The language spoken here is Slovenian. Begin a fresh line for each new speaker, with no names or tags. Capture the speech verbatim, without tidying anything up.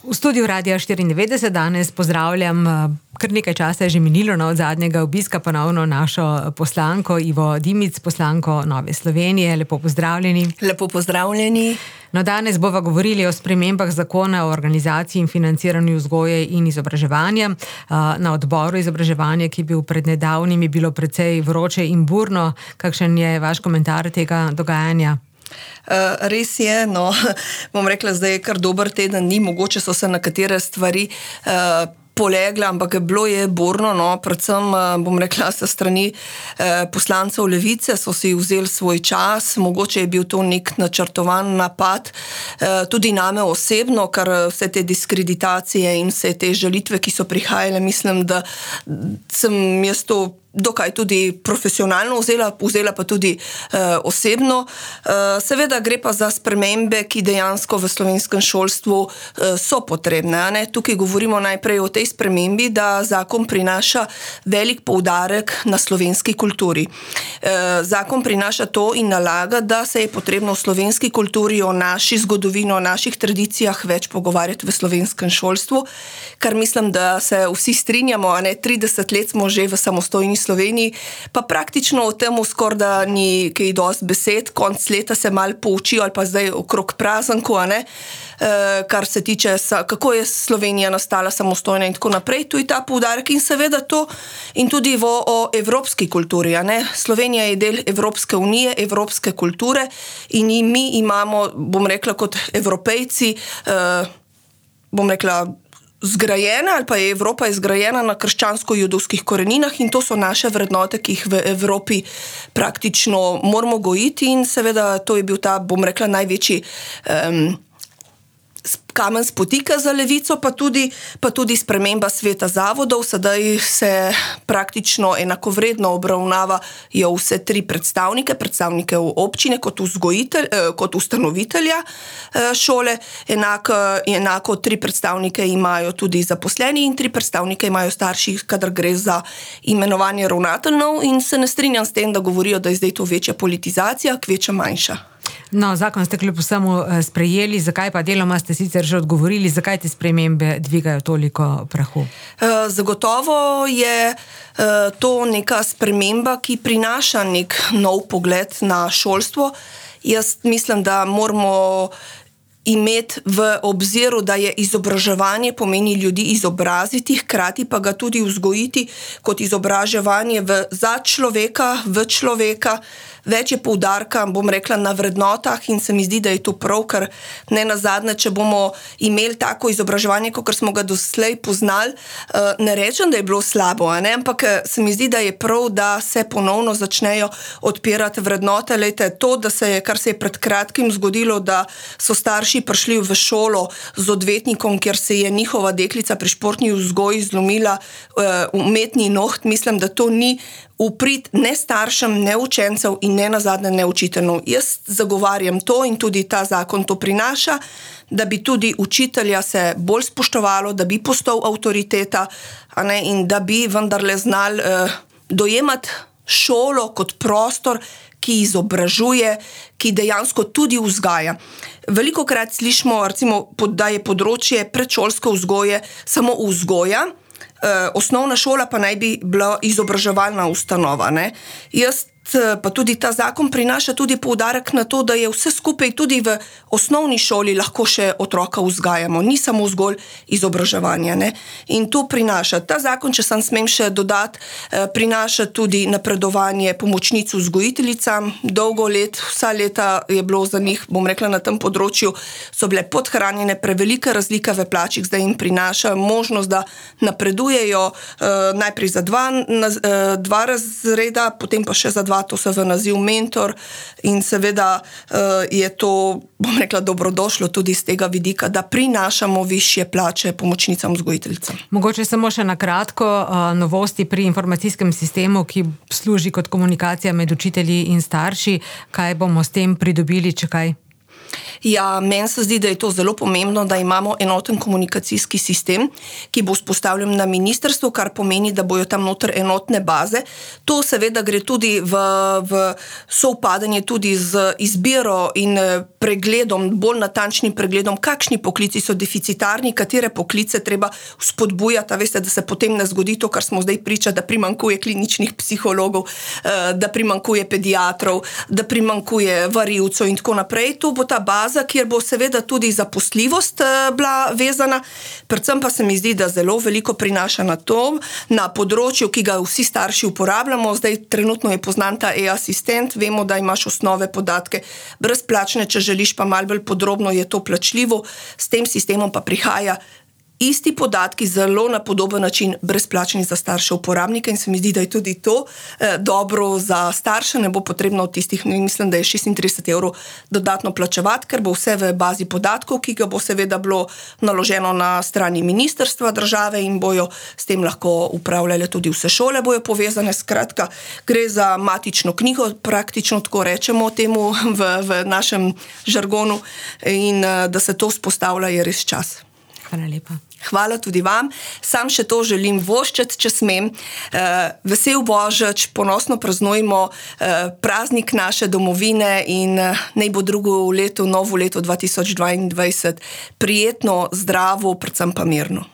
V studiu Radia štiriindevetdeset danes pozdravljam, kar nekaj časa je že minilo od zadnjega obiska, ponovno našo poslanko Ivo Dimic, poslanko Nove Slovenije. Lepo pozdravljeni.
Lepo pozdravljeni.
No, danes bova govorili o spremembah zakona o organizaciji in financiranju vzgoje in izobraževanja. Na odboru izobraževanja, ki je bil pred nedavnim, je bilo precej vroče in burno. Kakšen je vaš komentar tega dogajanja?
Uh, res je, no, bom rekla, zdaj je kar dober teden, ni mogoče so se nekatere stvari uh, polegla, ampak bilo je burno, no, predvsem, uh, bom rekla, sa strani uh, poslancev Levice so si vzeli svoj čas, mogoče je bil to nek načrtovan napad, uh, tudi name osebno, kar vse te diskreditacije in vse te žalitve, ki so prihajale, mislim, da sem jaz to dokaj tudi profesionalno vzela, vzela pa tudi uh, osebno. Uh, seveda gre pa za spremembe, ki dejansko v slovenskem šolstvu uh, so potrebne. A ne? Tukaj govorimo najprej o tej spremembi, da zakon prinaša velik poudarek na slovenski kulturi. Uh, zakon prinaša to in nalaga, da se je potrebno v slovenski kulturi o naši zgodovini, o naših tradicijah več pogovarjati v slovenskem šolstvu, kar mislim, da se vsi strinjamo, a ne, trideset let smo že v samostojni Sloveniji, pa praktično o tem skoraj da ni kaj dosti besed, konc leta se malo poučijo ali pa zdaj okrog prazanku, a ne, e, kar se tiče, kako je Slovenija nastala samostojna in tako naprej, tu je ta poudarek in seveda to in tudi v, o evropski kulturi, a ne, Slovenija je del Evropske unije, evropske kulture in mi imamo, bom rekla, kot Evropejci, e, bom rekla, zgrajena ali pa je Evropa izgrajena na krščansko-judovskih koreninah in to so naše vrednote, ki jih v Evropi praktično moramo gojiti in seveda to je bil ta, bom rekla, največji um, kamen spotika za Levico, pa tudi, pa tudi sprememba sveta zavodov. Sedaj se praktično enakovredno obravnavajo vse tri predstavnike, predstavnike občine kot, vzgojitelj, kot ustanovitelja šole, enako, enako tri predstavnike imajo tudi zaposleni in tri predstavnike imajo starši, kadar gre za imenovanje ravnateljev in se ne strinjam s tem, da govorijo, da je zdaj to večja politizacija, kvečja manjša.
No, zakon ste kljub vsemu sprejeli, zakaj pa deloma ste sicer že odgovorili, zakaj te spremembe dvigajo toliko prahu?
Zagotovo je to neka sprememba, ki prinaša nek nov pogled na šolstvo. Jaz mislim, da moramo imeti v obziru, da je izobraževanje pomeni ljudi izobraziti, hkrati pa ga tudi vzgojiti kot izobraževanje v, za človeka, v človeka. Več je poudarka, bom rekla, na vrednotah in se mi zdi, da je to prav, ker ne nazadnje, če bomo imeli tako izobraževanje, kot smo ga doslej poznali, ne rečem, da je bilo slabo, a ne? Ampak se mi zdi, da je prav, da se ponovno začnejo odpirati vrednote. Lejte, to, da se je, kar se je pred kratkim zgodilo, da so starši prišli v šolo z odvetnikom, kjer se je njihova deklica pri športni vzgoji zlomila umetni noht, mislim, da to ni uprit ne staršem, ne učencev in ne nazadnje ne učiteljev. Jaz zagovarjam to in tudi ta zakon to prinaša, da bi tudi učitelja se bolj spoštovalo, da bi postal avtoriteta, a ne, in da bi vendarle znali eh, dojemati šolo kot prostor, ki izobražuje, ki dejansko tudi vzgaja. Velikokrat slišimo, recimo, da je področje predšolske vzgoje samo vzgoja, osnovna šola pa naj bi bila izobraževalna ustanova, ne. Jaz pa tudi ta zakon prinaša tudi poudarek na to, da je vse skupaj tudi v osnovni šoli lahko še otroka vzgajamo, ni samo zgolj izobraževanje, ne. In to prinaša. Ta zakon, če sem smem še dodati, prinaša tudi napredovanje pomočnic vzgojiteljicam. Dolgo let, vsa leta je bilo za njih, bom rekla, na tem področju so bile podhranjene, prevelike razlike v plačih, zdaj jim prinaša možnost, da napredujejo eh, najprej za dva, na, eh, dva razreda, potem pa še za dva, to se v naziv mentor in seveda uh, je to, bom rekla, dobrodošlo tudi z tega vidika, da prinašamo višje plače pomočnicam vzgojiteljicam.
Mogoče samo še na kratko uh, novosti pri informacijskem sistemu, ki služi kot komunikacija med učitelji in starši. Kaj bomo s tem pridobili, če kaj?
Ja, meni se zdi, da je to zelo pomembno, da imamo enoten komunikacijski sistem, ki bo vzpostavljen na ministrstvu, kar pomeni, da bojo tam noter enotne baze. To seveda gre tudi v, v sovpadanje tudi z izbiro in pregledom, bolj natančnim pregledom, kakšni poklici so deficitarni, katere poklice treba spodbujati. Veste, da se potem ne zgodi to, kar smo zdaj priča, da primankuje kliničnih psihologov, da primankuje pediatrov, da primankuje varilcev in tako naprej. To bo ta baza, kjer bo seveda tudi zaposljivost bila vezana, predvsem pa se mi zdi, da zelo veliko prinaša na to, na področju, ki ga vsi starši uporabljamo. Zdaj trenutno je poznan ta e-asistent, vemo, da imaš osnove podatke brezplačne, če želiš pa malo bolj podrobno, je to plačljivo, s tem sistemom pa prihaja isti podatki, zelo na podoben način brezplačni za starše uporabnike in se mi zdi, da je tudi to eh, dobro za starše, ne bo potrebno od tistih, mislim, da je šestintrideset evrov dodatno plačevati, ker bo vse v bazi podatkov, ki ga bo seveda bilo naloženo na strani ministrstva države in bojo s tem lahko upravljale tudi vse šole, bojo povezane, skratka, gre za matično knjigo, praktično tako rečemo temu v, v našem žargonu in eh, da se to vzpostavlja, je res čas.
Hvala lepa.
Hvala tudi vam. Sam še to želim voščiti, če smem. Vesel Božič, ponosno praznujmo praznik naše domovine in naj bo drugo leto, novo leto dva tisoč dvaindvajset prijetno, zdravo, predvsem pa mirno.